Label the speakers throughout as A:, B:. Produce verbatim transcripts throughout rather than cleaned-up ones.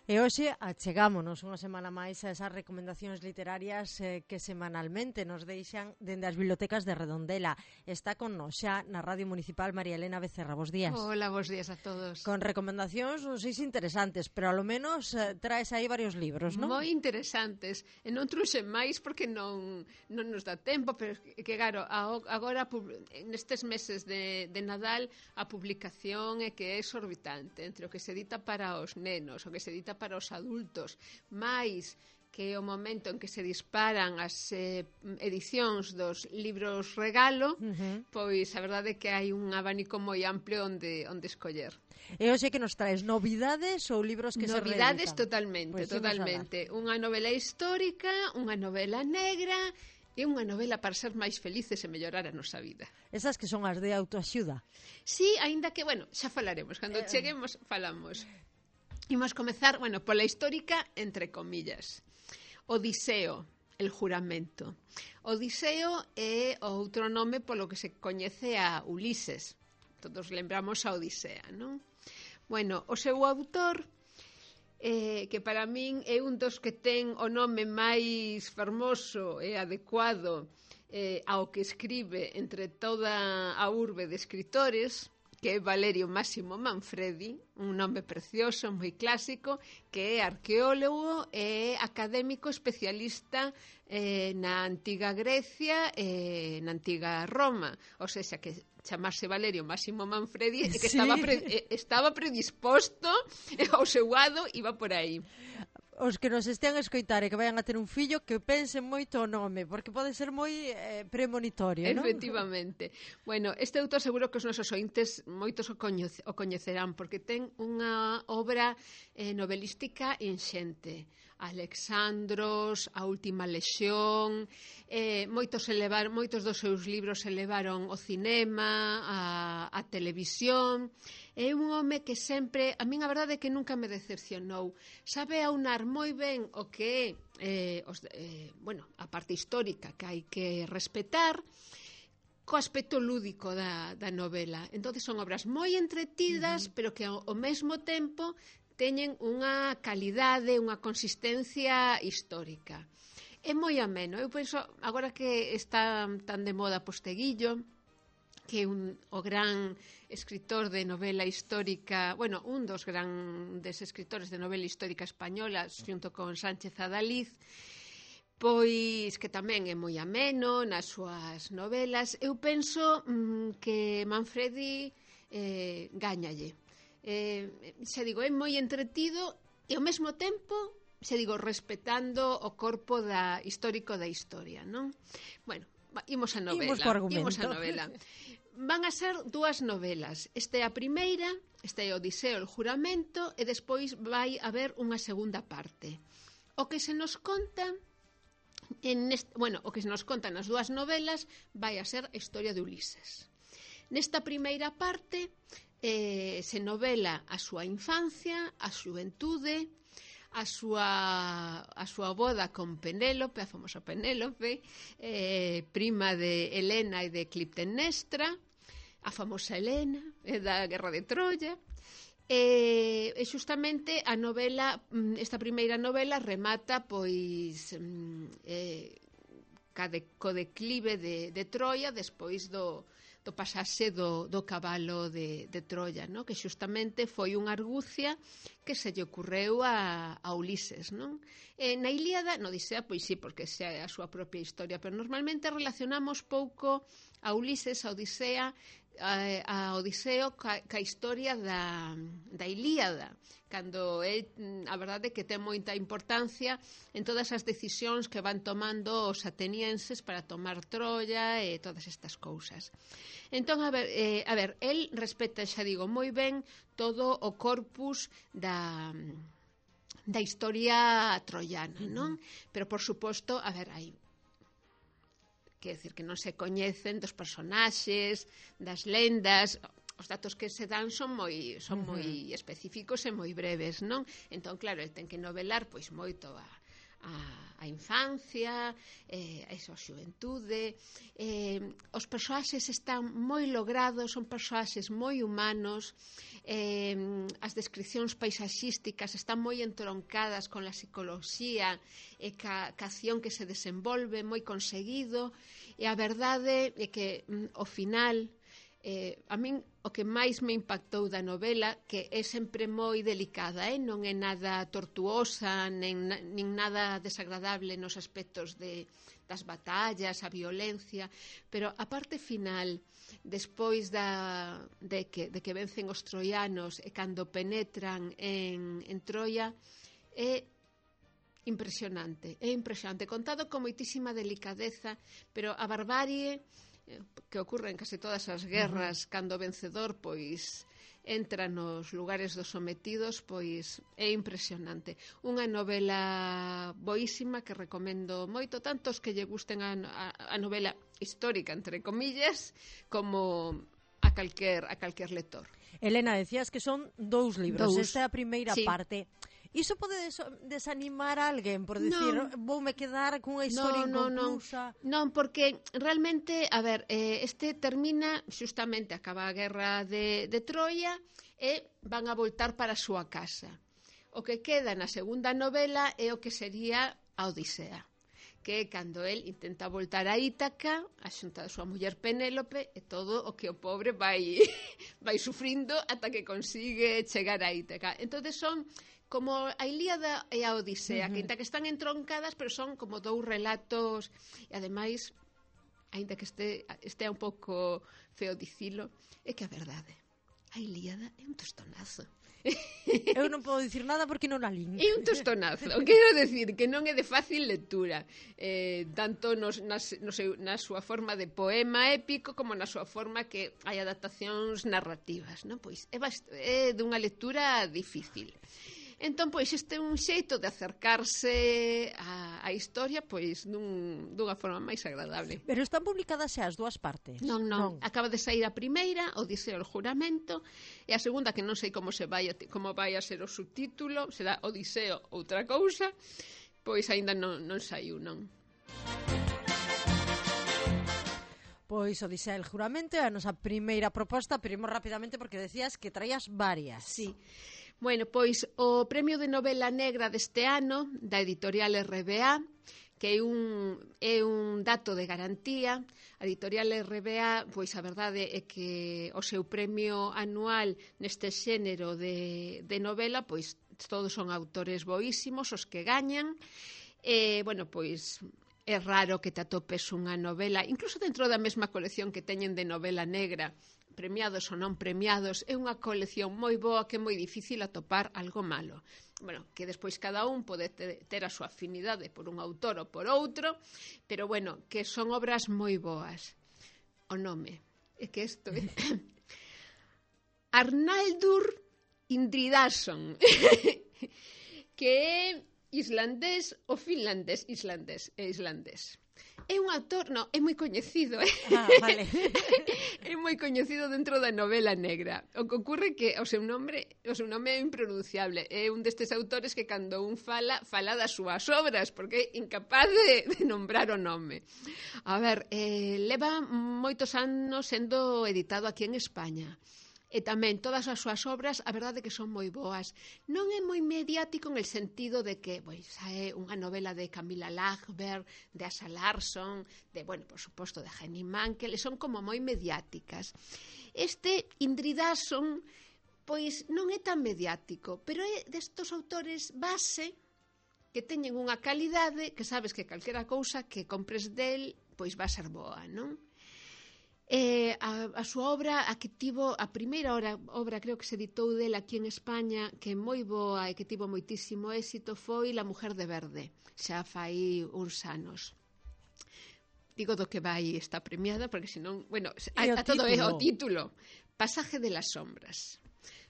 A: E hoxe achegámonos unha semana máis a esas recomendacións literarias eh, que semanalmente nos deixan dende as bibliotecas de Redondela. Está con nos xa na Radio Municipal María Elena Becerra. Bos días.
B: Hola, bos días a todos.
A: Con recomendacións, non sei se interesantes, pero ao menos eh, traes aí varios libros, non?
B: Moi interesantes. E non truxen máis porque non, non nos dá tempo, pero que, claro, agora nestes meses de, de Nadal a publicación é que é exorbitante entre o que se edita para os nenos, o que se edita para os adultos, máis que o momento en que se disparan as eh, edicións dos libros regalo, uh-huh. pois a verdade é que hai un abanico moi amplio onde, onde escoller.
A: E hoxe que nos traes novidades ou libros que
B: novidades
A: se reeditan?
B: Totalmente, pues totalmente. Unha novela histórica, unha novela negra e unha novela para ser máis felices e mellorar a nosa vida.
A: Esas que son as de autoaxuda?
B: Sí, aínda que, bueno, xa falaremos, cando eh... cheguemos falamos. Imos comezar, bueno, pola histórica, entre comillas. Odiseo, el juramento. Odiseo é outro nome polo que se coñece a Ulises. Todos lembramos a Odisea, non? Bueno, o seu autor, eh, que para min é un dos que ten o nome máis fermoso e adecuado eh, ao que escribe entre toda a urbe de escritores, que é Valerio Máximo Manfredi, un nome precioso, moi clásico, que é arqueólogo e académico especialista eh, na antiga Grecia e na antiga Roma. O sea, que chamarse Valerio Máximo Manfredi e que sí. estaba, pre, estaba predisposto ao seu lado, iba por aí.
A: Os que nos estean a escoitar e que vayan a ter un fillo que pensen moito o nome, porque pode ser moi eh, premonitorio, non?
B: Efectivamente. Bueno, este autor seguro que os nosos ointes moitos o, coñece, o coñecerán, porque ten unha obra eh, novelística inxente. Alexandros, A Última Lexión, eh, moitos, elevar, moitos dos seus libros se levaron ao cinema, a, a televisión. É un home que sempre, a min a verdade é que nunca me decepcionou. Sabe aunar moi ben o que é eh, os, eh, bueno, a parte histórica que hai que respetar co aspecto lúdico da, da novela. Entón son obras moi entretidas, uh-huh. pero que ao, ao mesmo tempo teñen unha calidade, unha consistencia histórica. É moi ameno. Eu penso, agora que está tan de moda Posteguillo, que é un, o gran escritor de novela histórica, bueno, un dos grandes escritores de novela histórica española, xunto con Sánchez Adaliz, pois que tamén é moi ameno nas súas novelas. Eu penso mmm, que Manfredi eh, gáñalle. Eh, xa digo, é moi entretido e ao mesmo tempo, xa digo, respetando o corpo da histórico da historia, non? Bueno, imos a novela.
A: Imos,
B: imos a novela. Van a ser dúas novelas. Esta é a primeira, esta é Odiseo, el juramento, e despois vai haber unha segunda parte. O que se nos conta en este, bueno, o que se nos conta nas dúas novelas vai a ser a historia de Ulises. Nesta primeira parte eh, se novela a súa infancia, a xuventude, a súa, a súa boda con Penélope, a famosa Penélope, eh, prima de Helena e de Clitemnestra, a famosa Helena, eh, da Guerra de Troia. E, e xustamente a novela, esta primeira novela remata pois eh, co declive de, de Troia despois do do pasase do, do cabalo de, de Troia, no? Que xustamente foi unha argucia que se lle ocurreu a, a Ulises, non? E na Ilíada, no Odisea, pois sí, porque xa é a súa propia historia, pero normalmente relacionamos pouco a Ulises, a Odisea, a, a Odiseo ca, ca historia da, da Ilíada, cando é, a verdade é que ten moita importancia en todas as decisións que van tomando os atenienses para tomar Troia e todas estas cousas. Entón, a ver, eh, a ver, el respeta, xa digo, moi ben todo o corpus da da historia troiana, non? Pero, por suposto, a ver, hai quer decir que non se coñecen dos personaxes, das lendas. Os datos que se dan son moi son moi uh-huh. específicos e moi breves, non? Entón, claro, el ten que novelar pois moito a, a, a infancia, eh, a esa xuventude. Eh, os persoaxes están moi logrados, son persoaxes moi humanos, eh, as descripcións paisaxísticas están moi entroncadas con a psicoloxía e ca, ca acción que se desenvolve, moi conseguido, e a verdade é que mm, ao final eh, a min o que máis me impactou da novela, que é sempre moi delicada, eh? Non é nada tortuosa, nen, nin nada desagradable nos aspectos de, das batallas, a violencia, pero a parte final, despois da, de, que, de que vencen os troianos e cando penetran en, en Troia, é impresionante, é impresionante, contado con moitísima delicadeza, pero a barbarie que ocorre en case todas as guerras, uh-huh. cando o vencedor pois entra nos lugares dos sometidos, pois é impresionante. Unha novela boísima que recomendo moito, tantos que lle gusten a, a, a novela histórica, entre comillas, como a calquer, a calquer lector.
A: Elena, decías que son dous libros,
B: dous.
A: Esta é a primeira
B: sí.
A: parte. Iso pode des- desanimar a alguén por decir,
B: non.
A: voume quedar cunha historia
B: no,
A: inconclusa?
B: Non, non, porque realmente, a ver, eh, este termina, xustamente acaba a guerra de, de Troia e van a voltar para a súa casa. O que queda na segunda novela é o que sería a Odisea, que é cando el intenta voltar a Ítaca, a xunta da súa muller Penélope, e todo o que o pobre vai, vai sufrindo ata que consigue chegar a Ítaca. Entonces son como a Ilíada e a Odisea, uh-huh. que ainda que están entroncadas, pero son como dous relatos, e ademais, ainda que este, este é un pouco feo dicilo, é que a verdade, a Ilíada é un tostonazo.
A: Eu non podo dicir nada porque non a lín.
B: É un tostonazo, quero decir que non é de fácil lectura, eh, tanto nos, nas, no seu, na súa forma de poema épico como na súa forma que hai adaptacións narrativas, non? Pois é, bast- é dunha lectura difícil. Entón, pois, este é un xeito de acercarse á, á historia, pois, dun, dunha forma máis agradable.
A: Pero están publicadas xa as dúas partes?
B: Non, non, non. Acaba de sair a primeira, Odiseo o juramento, e a segunda, que non sei como se vai a, como vai a ser o subtítulo, será Odiseo outra cousa, pois aínda non, non saiu, non.
A: Pois Odisea el juramento é a nosa primeira proposta, pero imos rapidamente porque decías que traías varias.
B: Sí. Bueno, pois o Premio de Novela Negra deste ano, da editorial R B A, que é un, é un dato de garantía. A editorial R B A, pois a verdade é que o seu premio anual neste xénero de, de novela, pois todos son autores boísimos os que gañan. E, bueno, pois é raro que te atopes unha novela, incluso dentro da mesma colección que teñen de novela negra, premiados ou non premiados, é unha colección moi boa que é moi difícil atopar algo malo. Bueno, que despois cada un pode ter a súa afinidade por un autor ou por outro, pero bueno, que son obras moi boas. O nome é que isto é Arnaldur Indridason, que é islandés ou finlandés, islandés, é islandés. É un autor, no, é moi coñecido, eh?
A: Ah, vale.
B: É moi coñecido dentro da novela negra. O que ocorre que o seu nome, o seu nome é impronunciable. É un destes autores que cando un fala, fala das súas obras, porque é incapaz de, de nombrar o nome. A ver, eh, leva moitos anos sendo editado aquí en España. E tamén todas as súas obras, a verdade que son moi boas. Non é moi mediático en el sentido de que, pois, é unha novela de Camilla Lagerberg, de Asa Larsson, de, bueno, por suposto, de Henning Mankell, son como moi mediáticas. Este Indridason, pois, non é tan mediático, pero é destos autores base que teñen unha calidade que sabes que calquera cousa que compres del, pois, va a ser boa, non? Eh, a, a súa obra, a que tivo a primeira obra, obra creo que se editou dela aquí en España, que é moi boa e que tivo moitísimo éxito, foi La mujer de verde, xa fai uns anos. Digo do que vai esta premiada, porque senón, bueno, a, a todo é o título. Pasaje de las sombras.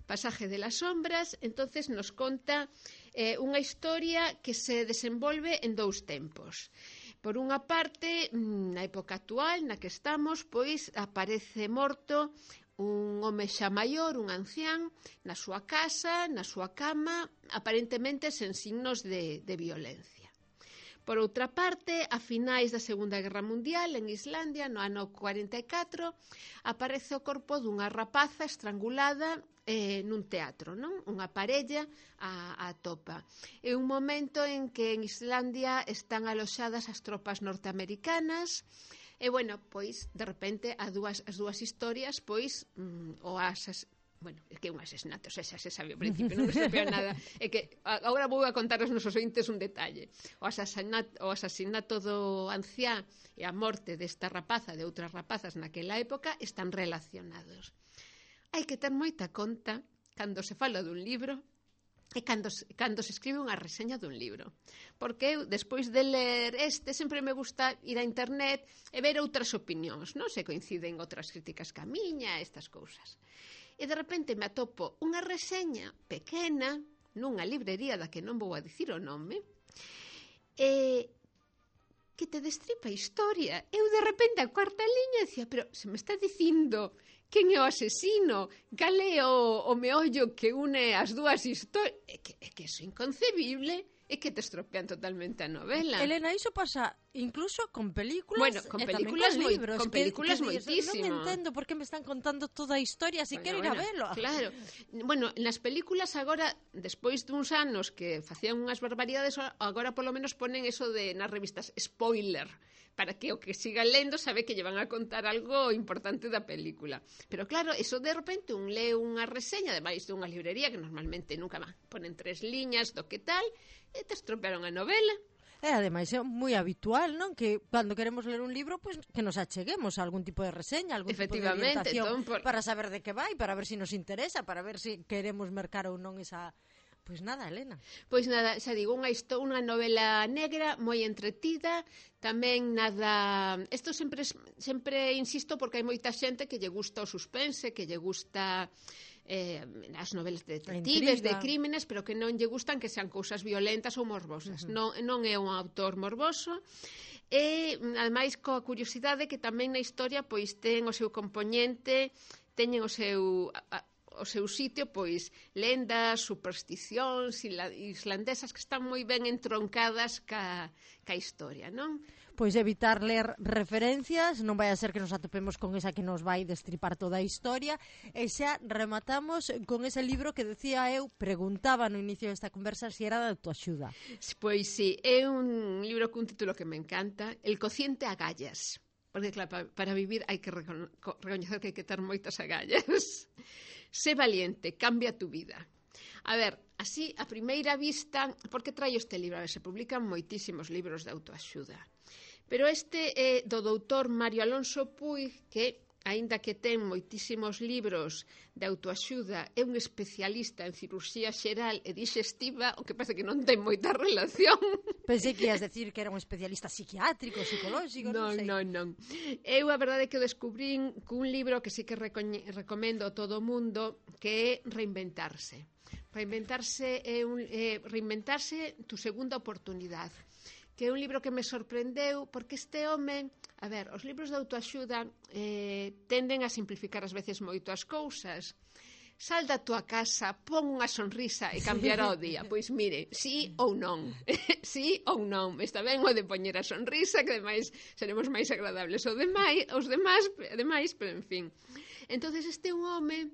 B: Pasaje de las sombras, entonces nos conta eh, unha historia que se desenvolve en dous tempos. Por unha parte, na época actual na que estamos, pois aparece morto un home xa maior, un ancián, na súa casa, na súa cama, aparentemente sen signos de, de violencia. Por outra parte, a finais da Segunda Guerra Mundial, en Islandia, no ano cuarenta e catro, aparece o corpo dunha rapaza estrangulada eh, nun teatro, non? Unha parella a, a topa. É un momento en que en Islandia están aloxadas as tropas norteamericanas e, bueno, pois, de repente, a dúas, as dúas historias, pois, mm, o asas... Bueno, é que é un asesinato, xa, xa se sabe ao principio, non se sabe nada. É que agora vou a contar aos nosos ointes un detalle. O asasinato, o asasinato do anciá e a morte desta rapaza, de outras rapazas naquela época, están relacionados. Hai que ter moita conta cando se fala dun libro e cando, cando se escribe unha reseña dun libro. Porque eu, despois de ler este, sempre me gusta ir a internet e ver outras opinións, non? Se coinciden outras críticas ca miña, estas cousas. E de repente me atopo unha reseña pequena nunha librería da que non vou a dicir o nome e que te destripa a historia. Eu de repente a cuarta liña decía, pero se me está dicindo quen é o asesino, cal é o, o meollo que une as dúas historias. É que, é que iso é inconcebible, é que te estropean totalmente a novela.
A: Elena, iso pasa incluso con películas,
B: bueno, con películas
A: con
B: moi,
A: libros,
B: con
A: que,
B: películas
A: que
B: moitísimo.
A: Non entendo por que me están contando toda a historia, si bueno, quero ir
B: bueno,
A: a velo.
B: Claro. Bueno, nas películas agora, despois duns anos que facían unhas barbaridades, agora polo menos ponen eso de nas revistas spoiler, para que o que siga lendo sabe que lle van a contar algo importante da película. Pero claro, eso de repente un lee unha reseña, ademais de unha librería que normalmente nunca va, ponen tres liñas do que tal, e te estropearon a novela.
A: E ademais é moi habitual, non? Que cando queremos ler un libro, pues, que nos acheguemos a algún tipo de reseña, algún tipo de orientación por... para saber de que vai, para ver se si nos interesa, para ver se si queremos mercar ou non esa... Pois nada, Elena.
B: Pois nada, xa digo, unha, unha novela negra moi entretida, tamén nada... Isto sempre, sempre insisto porque hai moita xente que lle gusta o suspense, que lle gusta eh, as novelas de detectives, de crímenes, pero que non lle gustan que sean cousas violentas ou morbosas. Uh-huh. non, non é un autor morboso, e ademais coa curiosidade que tamén na historia pois ten o seu componente, teñen o seu... A, o seu sitio, pois, lendas, supersticións islandesas que están moi ben entroncadas ca, ca historia, non?
A: Pois evitar ler referencias, non vai a ser que nos atopemos con esa que nos vai destripar toda a historia, e xa rematamos con ese libro que decía eu, preguntaba no inicio desta conversa se era de autoaxuda.
B: Pois sí, é un libro cun título que me encanta, El cociente agallas, porque claro, para, para vivir hai que recono- recoñecer que hai que ter moitas agallas. Sé valiente, cambia tu vida. A ver, así, a primeira vista, por que traio este libro? A ver, se publican moitísimos libros de autoaxuda. Pero este é do doutor Mario Alonso Puig, que, aínda que ten moitísimos libros de autoaxuda, é un especialista en cirurxía xeral e digestiva, o que parece que non ten moita relación.
A: Pensei que ias decir que era un especialista psiquiátrico, psicolóxico, non, non sei.
B: Non, non, non. Eu a verdade é que o descubrín cun libro que sí que recomendo a todo o mundo, que é Reinventarse. Reinventarse é un, é reinventarse tu segunda oportunidade, que é un libro que me sorprendeu porque este home, a ver, os libros de autoaxuda eh, tenden a simplificar ás veces moito as cousas. Sal da tua casa, pon unha sonrisa e cambiará o día. Pois mire, sí ou non. Sí ou non. Está ben o de poñer a sonrisa, que ademais seremos máis agradables os demais, os demais, demais, pero en fin. Entonces este é un home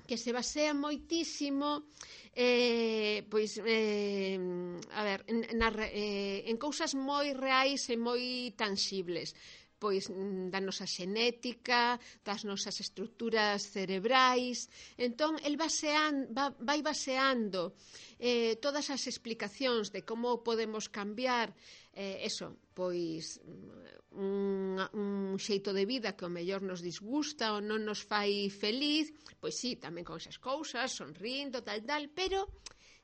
B: que se basea moitísimo eh, pois eh, a ver, na, eh, en cousas moi reais e moi tangibles, pois da nosa xenética, das nosas estruturas cerebrais. Entón, el basean, va, vai baseando eh, todas as explicacións de como podemos cambiar eh, eso, pois un, un xeito de vida que o mellor nos disgusta ou non nos fai feliz, pois sí, tamén con esas cousas, sonrindo, tal, tal, pero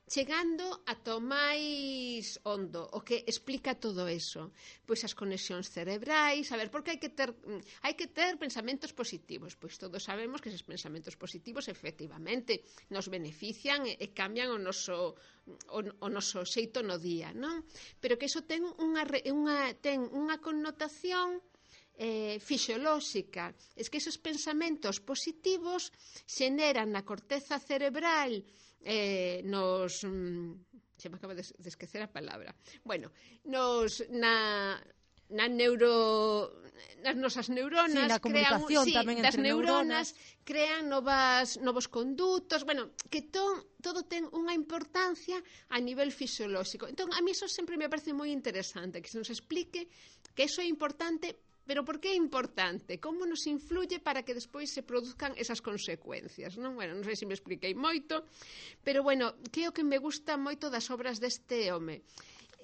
B: chegando ata o máis hondo, o que explica todo eso, pois as conexións cerebrais, a ver, porque hai que ter hai que ter pensamentos positivos, pois todos sabemos que esos pensamentos positivos efectivamente nos benefician e, e cambian o noso o, o noso xeito no día, non? Pero que iso ten unha unha ten unha connotación Eh, fisiolóxica, es que esos pensamentos positivos xeneran na corteza cerebral eh, nos, Se me acaba de, de esquecer a palabra. Bueno, nos na na neuro nas nosas neuronas
A: sí, na
B: crean,
A: comunicación
B: sí,
A: tamén
B: das
A: entre
B: neuronas,
A: neuronas
B: crean novas novos condutos, bueno, que to, todo ten unha importancia a nivel fisiolóxico. Entón, a mí eso sempre me parece moi interesante, que se nos explique que eso é importante, pero por que é importante? Como nos influye para que despois se produzcan esas consecuencias, non? Bueno, non sei se me expliquei moito, pero bueno, que é o que me gusta moito das obras deste home.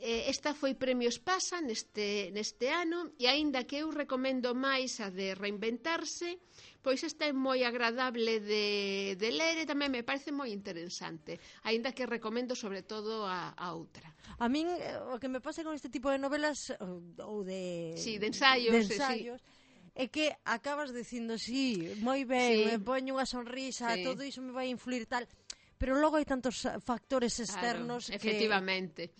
B: Esta foi Premio Espasa neste, neste ano, e aínda que eu recomendo máis a de Reinventarse, pois esta é moi agradable de, de ler e tamén me parece moi interesante, aínda que recomendo sobre todo a, a outra.
A: A min, o que me pasa con este tipo de novelas ou de,
B: sí, de ensaios,
A: de ensaios sí. é que acabas dicindo, sí, moi ben, sí. me poño unha sonrisa, sí. todo iso me vai influir tal... pero logo hai tantos factores externos
B: claro, que... efectivamente.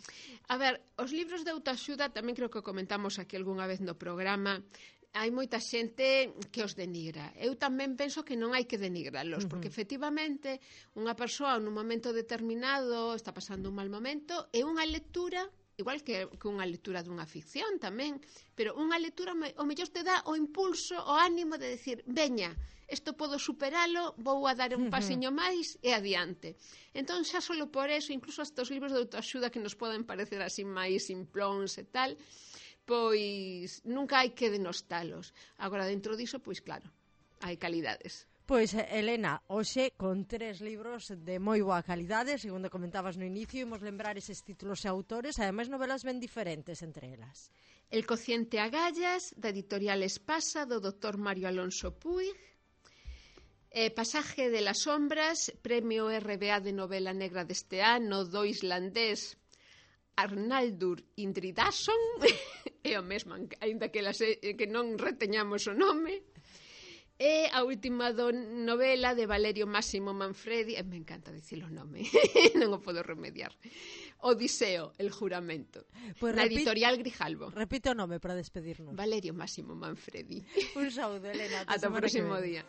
B: A ver, os libros de autoaxuda tamén creo que comentamos aquí algunha vez no programa, hai moita xente que os denigra. Eu tamén penso que non hai que denigralos, uh-huh. porque efectivamente unha persoa nun momento determinado está pasando un mal momento e unha lectura, igual que, que unha lectura dunha ficción tamén, pero unha lectura o mellor te dá o impulso, o ánimo de decir, veña, isto podo superalo, vou a dar un pasiño máis e adiante. Entón, xa solo por eso, incluso estes libros de autoaxuda que nos poden parecer así máis simplóns e tal, pois nunca hai que denostalos. Agora, dentro diso, pois claro, hai calidades.
A: Pois, Elena, hoxe con tres libros de moi boa calidade, segundo comentabas no inicio, imos lembrar eses títulos e autores, ademais novelas ben diferentes entre elas.
B: El cociente agallas, da editorial Espasa, do doutor Mario Alonso Puig. Eh, Pasaje de las sombras, premio R B A de novela negra deste ano, do islandés Arnaldur Indridason, é o mesmo, aínda que, que non reteñamos o nome. E a última do novela de Valerio Máximo Manfredi, eh, me encanta dicir o nome, non o podo remediar, Odiseo, el juramento, pues na repito, editorial Grijalbo.
A: Repite o nome para despedirnos.
B: Valerio Máximo Manfredi.
A: Un saúdo, Elena.
B: Ata o próximo día.